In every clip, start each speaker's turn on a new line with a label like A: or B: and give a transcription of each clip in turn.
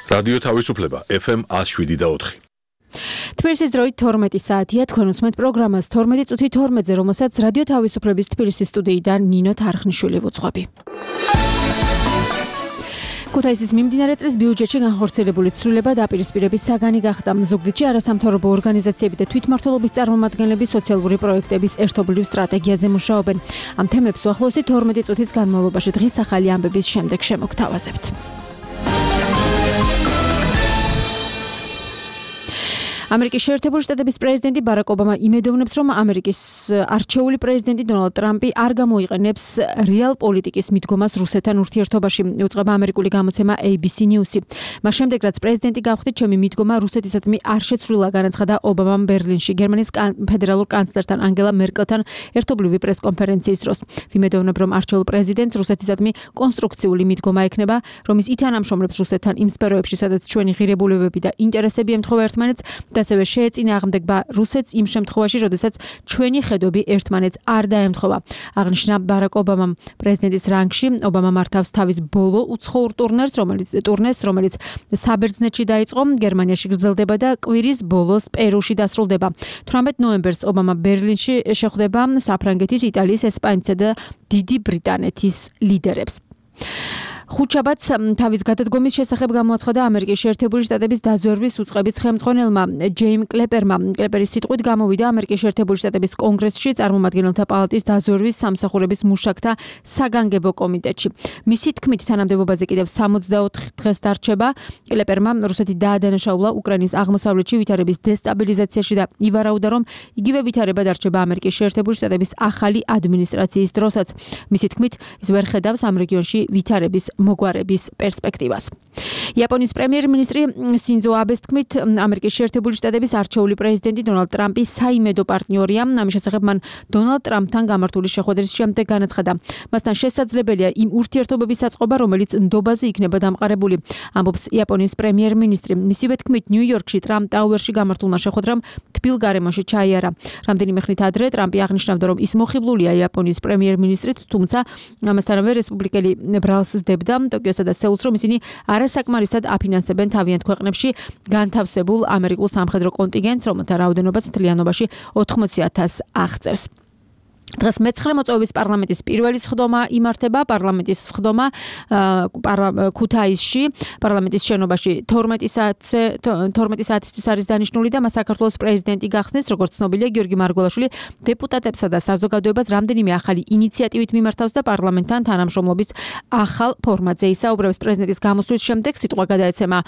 A: რადიო თავისუფლება FM 107.4.
B: თბილისის დროით 12 საათია, თქვენ უსმენთ პროგრამას 12 წუთი 12-ზე, რომელსაც რადიო თავისუფლების თბილისის სტუდიიდან ნინო თარხნიშვილი ვუძღვები. ქუთაისის მიმდინარე წლის ბიუჯეტში განხორციელებული ცვლილება დაპირისპირების საგანი გახდა. ზუგდიდში არასამთავრობო ორგანიზაციები და თვითმმართველობის წარმომადგენლები სოციალური პროექტების ერთობლივ სტრატეგიაზე მუშაობენ. ამ თემებს უახლოესი 12 წუთის განმავლობაში დღის ახალი ამბების შემდეგ შემოგთავაზებთ. ამერიკის შეერთებული შტატების პრეზიდენტი ბარაკ ობამა იმედოვნებს, რომ ამერიკის არჩეული პრეზიდენტი დონალდ ტრამპი არ გამოიყენებს რეალ პოლიტიკის მიდგომას რუსეთთან ურთიერთობაში, უწყება ამერიკული გამოცემა ABC News-ი. მას შემდეგ, რაც პრეზიდენტი გავხდით, ჩემი მიდგომა რუსეთისადმი არ შეცვლილა, განაცხადა ობამამ ბერლინში, გერმანიის ფედერალურ კანცლერთან ანგელა მერკელთან ერთობლივი პრესკონფერენციის დროს. ვიმედოვნებ, რომ არჩეულ პრეზიდენტს რუსეთისადმი კონსტრუქციული მიდგომა ექნება, რომ ის ითანამშრომლებს რუსეთთან იმ სფეროებში, სადაც ჩვენი ღირებულებები და ინტერესები ემთხვევა ერთმანეთს. ასევე შეეწინააღმდეგება რუსეთს იმ შემთხვევაში, როდესაც ჩვენი ხედვები ერთმანეთს არ დაემთხვევა. აღნიშნა ბარაკ ობამამ. პრეზიდენტის რანგში ობამა მართავს თავის ბოლო უცხოურ ტურნეს, რომელიც საბერძნეთში დაიწყო, გერმანიაში გრძელდება და კვირის ბოლოს პერუში დასრულდება. 18 ნოემბერს ობამა ბერლინში შეხვდება საფრანგეთის, იტალიის, ესპანეთისა და დიდი ბრიტანეთის ლიდერებს. ხუთშაბათს თავის გადადგომის შესახებ გამოაცხადა ამერიკის შეერთებული შტატების დაზვერვის უწყების ხელმძღვანელმა ჯეიმ კლეპერმა. კლეპერის სიტყვით გამოვიდა ამერიკის შეერთებული შტატების კონგრესში წარმომადგენელთა პალატის დაზვერვის სამსახურების მუშაკთა საგანგებო კომიტეტში. მისი თქმით, თანამდებობაზე კიდევ 64 დღეს დარჩება. კლეპერმა რუსეთი დაადანაშაულა უკრაინის აღმოსავლეთში ვითარების დესტაბილიზაციაში და ივარაუდა, რომ იგივე ვითარება დარჩება ამერიკის შეერთებული შტატების ახალი ადმინისტრაციის დროსაც. მისი თქმით, ის ვერ ხედავს ამ რეგიონში ვითარების მოგვარების პერსპექტივას. იაპონიის პრემიერ-მინისტრი სინძო აბეს თქმით, ამერიკის შეერთებული შტატების არჩეული პრეზიდენტი დონალდ ტრამპი საიმედო პარტნიორია. ამის შესახებ მან დონალდ ტრამპთან გამართული შეხვედრის შემდეგ განაცხადა. მასთან შესაძლებელია იმ ურთიერთობების აწყობა, რომელიც ნდობაზე იქნება დამყარებული, ამბობს იაპონიის პრემიერ-მინისტრი. მისივე თქმით, ნიუ-იორკში ტრამპ ტაუერში გამართულმა შეხვედრამ თბილ გარემოში ჩაიარა. რამდენიმე ხნით ადრე ტრამპი აღნიშნავდა, რომ ის მოხიბლულია იაპონიის პრემიერ-მინისტრით, თუმცა ამასთანავე რესპუბლიკელი ბრალს სდებდა ტოკიოსა და სეულს, რომ ისინი არასაკმარისად აფინანსებენ თავიანთ ქვეყნებში განთავსებულ ამერიკულ სამხედრო კონტინგენტს, რომელთა რაოდენობაც მთლიანობაში 80,000 აღწევს. დღეს მე-9 მოწვევის პარლამენტის პირველი სხდომა იმართება. პარლამენტის სხდომა ქუთაისში, პარლამენტის შენობაში 12 საათისთვის არის დანიშნული და მას საქართველოს პრეზიდენტი გახსნის, როგორც ცნობილია, გიორგი მარგველაშვილი დეპუტატებსა და საზოგადოებას რამდენიმე ახალი ინიციატივით მიმართავს და პარლამენტთან თანამშრომლობის ახალ ფორმატზე ისაუბრებს. პრეზიდენტის გამოსვლის შემდეგ სიტყვა გადაეცემა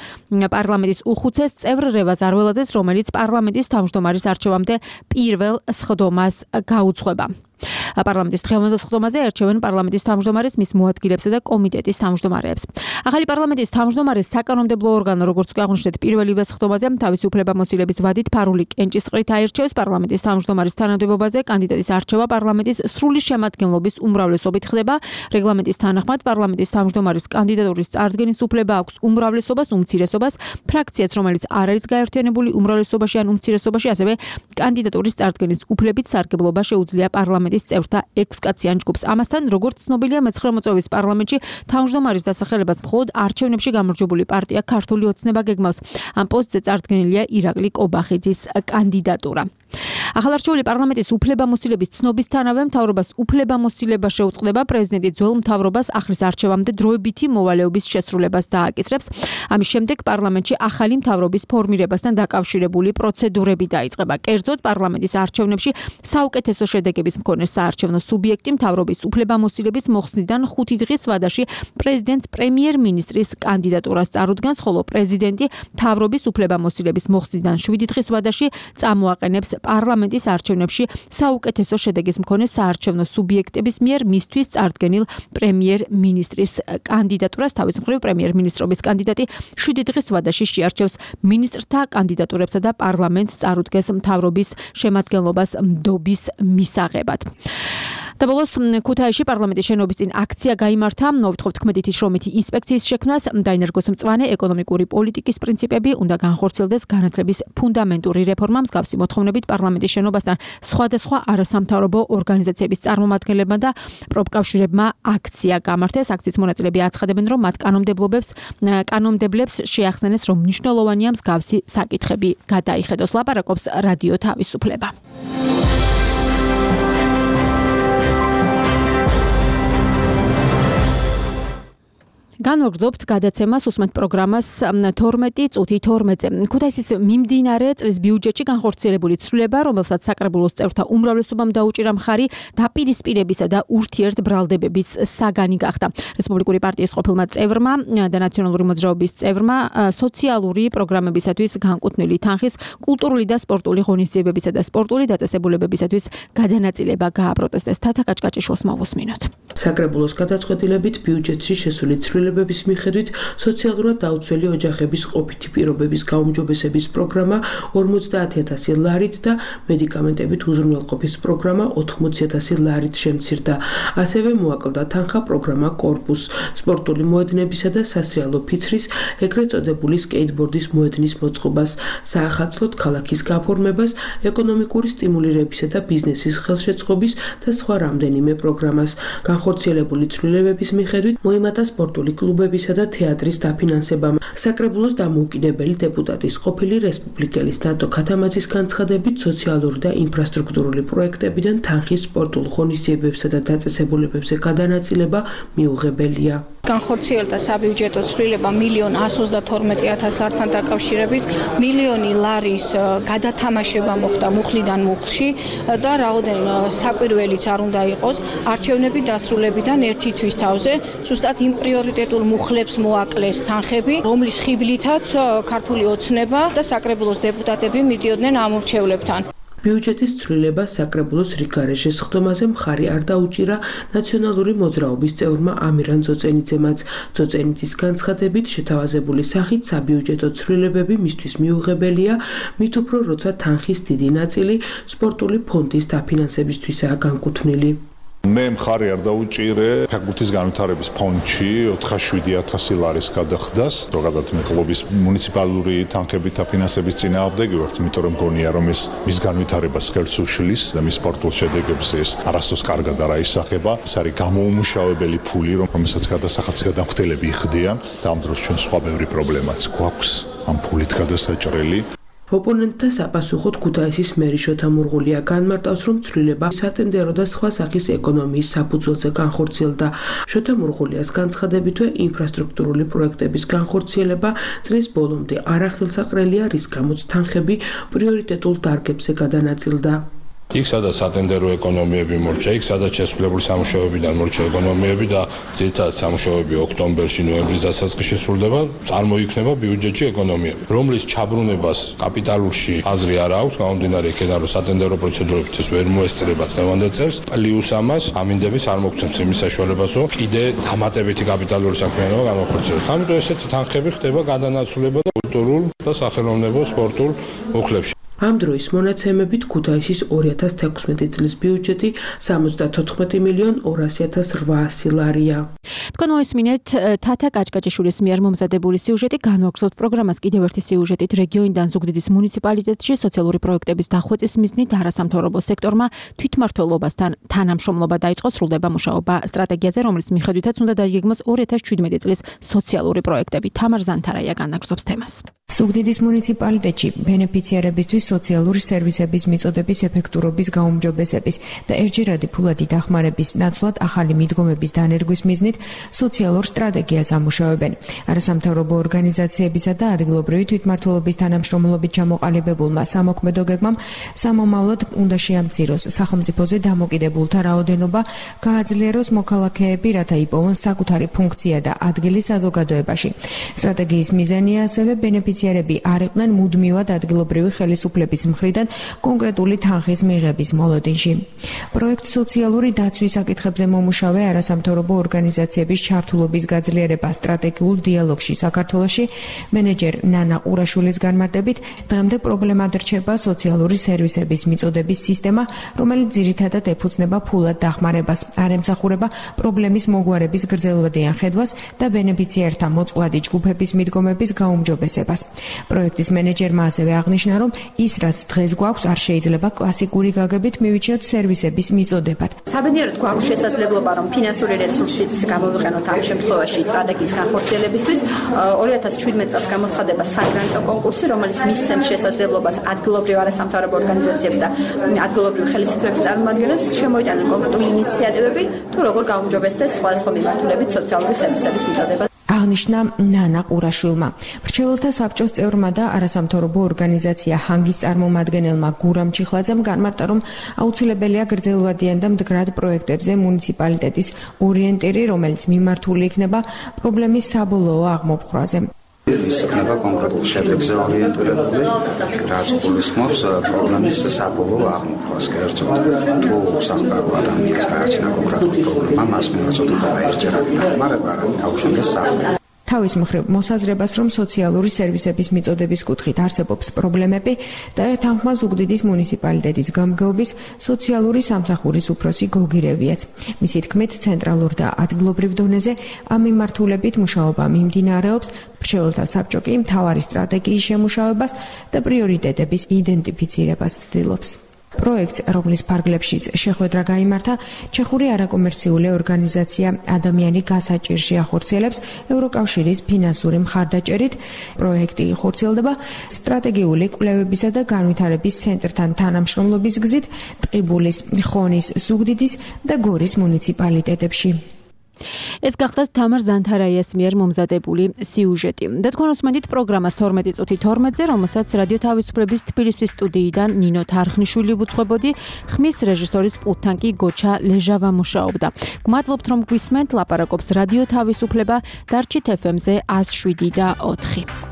B: პარლამენტის უხუცეს წევრ რევაზ არველაძეს, რომელიც პარლამენტის თავმჯდომარის არჩევამდე პირველ სხდომას გაუძღვება. პარლამენტის დღევანდელ სხდომაზე ერჩევენ პარლამენტის თავმჯდომარეს, მის მოადგილეებსა და კომიტეტის თავმჯდომარეებს. ახალი პარლამენტის თავმჯდომარე საკანონმდებლო ორგანო, როგორც აღნიშნეთ, პირველივე სხდომაზე თავისი უფლებამოსილების ვადით ფარული კენჭისყრით აირჩევს. პარლამენტის თავმჯდომარის თანამდებობაზე კანდიდატის არჩევა პარლამენტის სრული შემადგენლობის უმრავლესობით ხდება. რეგლამენტის თანახმად პარლამენტის თავმჯდომარის კანდიდატურის წარდგენის უფლება აქვს უმრავლესობას, უმცირესობას, ფრაქციას, რომელიც არ არის გაერთიანებული უმრავლესობაში ან უმცირესობაში, ასევე კანდიდატურის წარდგენის უფლებით სარგებლობა შეუძლია პარლამენტის წევრთა 6 კაციან ჯგუფს. ამასთან, როგორც ცნობილია, მე-9 მოწვევის პარლამენტში თავმჯდომარის დასახელებას მხოლოდ არჩევნებში გამარჯვებული პარტია ქართული ოცნება გეგმავს. ამ პოსტზე წარდგენილია ირაკლი კობახიძის კანდიდატურა. ახალარჩეული პარლამენტის უფლებამოსილების ცნობისთანავე მთავრობას უფლებამოსილება შეუწყდება. პრეზიდენტი ძველ მთავრობას ახლის არჩევამდე დროებითი მოვალეობის შესრულებას დააკისრებს. ამის შემდეგ პარლამენტში ახალი მთავრობის ფორმირებასთან დაკავშირებული პროცედურები დაიწყება. კერძოდ, პარლამენტის არჩევნებში საუკეთესო შედეგების მქონე საარჩევნო სუბიექტი მთავრობის უფლებამოსილების მოხსნიდან 5 დღის ვადაში პრეზიდენტს პრემიერ-მინისტრის კანდიდატურას წარუდგენს, ხოლო პრეზიდენტი მთავრობის უფლებამოსილების მოხსნიდან 7 დღის ვადაში წამოაყენებს პარლამენტის არჩევნებში საუკეთესო შედეგის მქონე საარჩევნო სუბიექტების მიერ მისთვის წარდგენილ პრემიერ-მინისტრის კანდიდატურას. თავის მხრივ პრემიერ-მინისტრობის კანდიდატი 7 დღის ვადაში შეარჩევს მინისტრთა კანდიდატურებსა და პარლამენტს წარუდგენს მთავრობის შემადგენლობას ნდობის მისაღებად. და ბოლოს ქუთაისში პარლამენტის შენობის წინ აქცია გაიმართა, მოვთხოვთ ქმედითი შრომითი ინსპექციის შექმნას, დაინერგოს მწვანე ეკონომიკური პოლიტიკის პრინციპები, უნდა განხორციელდეს განათლების ფუნდამენტური რეფორმა, მსგავსი მოთხოვნებით პარლამენტის შენობასთან სხვადასხვა არასამთავრობო ორგანიზაციების წარმომადგენლებმა და პროფკავშირებმა აქცია გამართეს. აქციის მონაწილეები აცხადებენ, რომ მათ კანონმდებლებს შეახსენეს, რომ მნიშვნელოვანია მსგავსი საკითხები გადაიხედოს. ლაპარაკობს რადიო თავისუფლება. განვაგრძობთ გადაცემას უსმენთ პროგრამას 12 წუთი 12-ზე. ქუთაისის მიმდინარე წლის ბიუჯეტში განხორციელებული ცვლილება, რომელსაც საკრებულოს წევრთა უმრავლესობამ დაუჭირა მხარი, დაპირისპირებისა და ურთიერთბრალდებების საგანი გახდა. რესპუბლიკური პარტიის ყოფილმა წევრმა და ნაციონალური მოძრაობის წევრმა სოციალური პროგრამებისათვის განკუთვნილი თანხის, კულტურული და სპორტული ღონისძიებებისა და სპორტული დაწესებულებებისათვის გადანაწილება გააპროტესტეს. თათა კაჭკაჭიშვილს მოვუსმინოთ.
C: საკრებულოს გადაწყვეტილებით ბიუჯეტში შესული ცვლილებების მიხედვით სოციალურად დაუცველი ოჯახების ყოფითი პირობების გაუმჯობესების პროგრამა 50,000 ლარით და მედიკამენტებით უზრუნველყოფის პროგრამა 80,000 ლარით შემცირდა. ასევე მოაკლდა თანხა პროგრამა კორპუს, სპორტული მოედნებისა და სასრიალო ფიცრის, ეგრეთ წოდებული სკეიტბორდის მოედნის მოწყობას, საახალწლოდ ქალაქის გაფორმებას, ეკონომიკური სტიმულირებისა და ბიზნესის ხელშეწყობის და სხვა რამდენიმე პროგრამას. განხორციელებული ცვლილებების მიხედვით მოიმატა სპორტული კლუბებისა და თეატრის დაფინანსებამ. საკრებულოს დამოუკიდებელი დეპუტატის ყოფილი რესპუბლიკელის ნატო ქათამაძის განცხადებით სოციალური და ინფრასტრუქტურული პროექტებიდან თანხის სპორტულ ღონისძიებებსა და დაწესებულებებზე გადანაწილება მიუღებელია.
D: განხორციელდა საბიუჯეტო ცვლილება 1,122,000 ლართან დაკავშირებით, 1,000,000 ლარის გადათამაშება მოხდა მუხლიდან მუხლში და რაოდენ საკვირველიც არ უნდა იყოს, არჩევნები დასრულებიდან ერთი თვის თავზე, ზუსტად იმ პრიორიტეტულ მუხლებს მოაკლეს თანხები, რომლის ხიბლითაც ქართული ოცნება და საკრებულოს დეპუტატები მიდიოდნენ ამ ურჩევლებთან.
C: ბიუჯეტის ცვლილება საკრებულოს რიგარეშეს ხდომაზე მხარი არ დაუჭირა ნაციონალური მოძრაობის წევრმა ამირან ძოწენიძემაც. ძოწენიძის განცხადებით შეთავაზებული სახით საბიუჯეტო ცვლილებები მისთვის მიუღებელია, მით უფრო როცა თანხის დიდი ნაწილი სპორტული ფონდის დაფინანსებისთვისაა განკუთვნილი.
E: მე მხარი არ დაუჭირე ფეხბურთის განვითარების ფონდში 407,000 ლარის გადახდას, ზოგადად მე კლუბის მუნიციპალური თანხებით დაფინანსების წინააღმდეგი ვარ, იმიტომ რომ მგონია რომ ეს მის განვითარებას ხელს უშლის და მის სპორტულ შედეგებს ეს არასდროს კარგად არ აისახება. ეს არის გამოუმუშავებელი ფული, რომელსაც გადასახადს გადამხდელები იხდიან და ამ დროს ჩვენ სხვა ბევრი პრობლემაც გვაქვს ამ ფულით გადასაჭრელი.
C: ოპონენტთა საპასუხოდ ქუთაისის მერი შოთა მურღულია განმარტავს, რომ ცვლილება სატენდერო და სხვა სახის ეკონომიის საფუძველზე განხორციელდა. შოთა მურღულიას განცხადებითვე ინფრასტრუქტურული პროექტების განხორციელება წლის ბოლომდე არ ახდელსაყრელია, რის გამოც თანხები პრიორიტეტულ დარგებზე გადანაწილდა.
F: იქ სადაც სატენდერო ეკონომიები მორჩა, იქ სადაც შესრულებული სამუშაოებიდან მორჩა ეკონომიები და ძირითადად სამუშაოები ოქტომბერში, ნოემბრის დასაწყისში სრულდება, წარმოიქმნება ბიუჯეტში ეკონომიები, რომლის ჩაბრუნებას კაპიტალურში აზრი არ აქვს, გამომდინარე იქიდან, რომ სატენდერო პროცედურებით ეს ვერ მოესწრება წლევანდელ წელს, პლუს ამას ამინდების არ მოგცემს იმის საშუალებას, რომ კიდე დამატებითი კაპიტალური საქმიანობა განახორციელოს. ამიტომ ესეთი თანხები ხდება გადანაცვლება და კულტურულ და სახელოვნებო სპორტულ მუხლებში.
C: ამ დროის მონაცემებით ქუთაისის 2016 წლის ბიუჯეტი 74,200,800 ლარია.
B: თქვენ მოისმინეთ თათა კაჭკაჭიშვილის მიერ მომზადებული სიუჟეტი. განვაგრძობთ პროგრამას კიდევ ერთი სიუჟეტით. რეგიონიდან ზუგდიდის მუნიციპალიტეტში სოციალური პროექტების დახვეწის მიზნით არასამთავრობო სექტორმა თვითმმართველობასთან თანამშრომლობა დაიწყო. სრულდება მუშაობა სტრატეგიაზე, რომლის მიხედვითაც უნდა დაიგეგმოს 2017 წლის სოციალური პროექტები. თამარ ზანთარაია განაგრძობს თემას.
G: ზუგდიდის მუნიციპალიტეტში ბენეფიციარებისთვის სოციალური სერვისების მიწოდების ეფექტურობის გაუმჯობესების და ერთჯერადი ფულადი დახმარების ნაცვლად ახალი მიდგომების დანერგვის მიზნით სოციალურ სტრატეგიას ამუშავებენ. არასამთავრობო ორგანიზაციებისა და ადგილობრივი თვითმმართველობის თანამშრომლობით ჩამოყალიბებულმა სამოქმედო გეგმამ სამომავლოდ უნდა შეამციროს სახელმწიფოზე დამოკიდებულთა რაოდენობა, გააძლიეროს მოქალაქეები, რათა იპოვონ საკუთარი ფუნქცია და ადგილი საზოგადოებაში. სტრატეგიის მიზანია ასევე ბენეფიციარები არ იყვნენ მუდმივად ადგილობრივი ხელისუფლების მხრიდან კონკრეტული თანხის მიღების მოლოდინში. პროექტ სოციალური დაცვის საკითხებზე მომუშავე არასამთავრობო ორგანიზაცია ორგანიზაციების ჩართულობის გაძლიერება სტრატეგიულ დიალოგში საქართველოში მენეჯერ ნანა ყურაშვილის განმარტებით დღემდე პრობლემად რჩება სოციალური სერვისების მიწოდების სისტემა, რომელიც ძირითადად ეფუძნება ფულად დახმარებას, არ ემსახურება პრობლემის მოგვარების გრძელვადიან ხედვას და ბენეფიციართა მოწყვლადი ჯგუფების მიდგომების გაუმჯობესებას. პროექტის მენეჯერმა ასევე აღნიშნა, რომ ის რაც დღეს გვაქვს არ შეიძლება კლასიკური გაგებით მივიჩნიოთ სერვისების მიწოდებად.
H: საბედნიეროდ გვაქვს შესაძლებლობა, რომ ფინანსური რესურსიც გამოვიყენოთ ამ შემთხვევაში სტრატეგიის განხორციელებისთვის. 2017 წელს გამოცხადება საგრანტო კონკურსი, რომელიც მისცემს შესაძლებლობას ადგილობრივ არასამთავრობო ორგანიზაციებს და ადგილობრივ ხელისუფლების წარმომადგენლებს შემოიტანენ კონკრეტული ინიციატივები, თუ როგორ გაუმჯობესდეს სხვადასხვა მიმართულებით სოციალური სერვისების მიწოდება.
G: აღნიშნა ნანა ყურაშვილმა. მრჩეველთა საბჭოს წევრმა და არასამთავრობო ორგანიზაცია ჰანგის წარმომადგენელმა გურამ ჩიხლაძემ განმარტა, რომ აუცილებელია გრძელვადიან და მდგრად პროექტებზე მუნიციპალიტეტის ორიენტირი, რომელიც მიმართული იქნება პრობლემის საბოლოო აღმოფხვრაზე.
I: ის იქნება კონკრეტულ შედეგზე ორიენტირებული, რაც გულისხმობს პრობლემის საბოლოო აღმოფხვას. კერძოდ, თუ სამყარო ადამიანს გააჩნია კონკრეტული პრობლემა, მას მიაწოდოთ არა ერთჯერადი დახმარება, არამედ აუჩნდეს სახლი.
G: თავის მხრივ მოსაზრებას, რომ სოციალური სერვისების მიწოდების კუთხით არსებობს პრობლემები და თანხმას უგდიდის მუნიციპალიტეტის გამგეობის სოციალური სამსახურის უფროსი გოგირევიაც. მისი თქმით, ცენტრალურ და ადგილობრივ დონეზე ამ მიმართულებით მუშაობა მიმდინარეობს, მრჩეველთა საბჭო კი მთავარი სტრატეგიის შემუშავებას და პრიორიტეტების იდენტიფიცირებას ცდილობს. პროექტს, რომლის ფარგლებშიც შეხვედრა გაიმართა, ჩეხური არაკომერციული ორგანიზაცია ადამიანი გასაჭირში ახორციელებს ევროკავშირის ფინანსური მხარდაჭერით. პროექტი ხორციელდება სტრატეგიული კვლევებისა და განვითარების ცენტრთან თანამშრომლობის გზით ტყიბულის, ხონის, ზუგდიდის და გორის მუნიციპალიტეტებში.
B: ეს გახლავთ თამარ ზანთარაიას მიერ მომზადებული სიუჟეტი. და თქვენ უსმენთ პროგრამას 12 წუთი 12-ზე, რომელსაც რადიო თავისუფლების თბილისის სტუდიიდან ნინო თარხნიშვილი უძღვებოდი, ხმის რეჟისორის პულტთან კი გოჩა ლეჟავა მუშაობდა. გმადლობთ, რომ გვისმენთ, ლაპარაკობს რადიო თავისუფლება, დარჩით FM-ზე 107.4.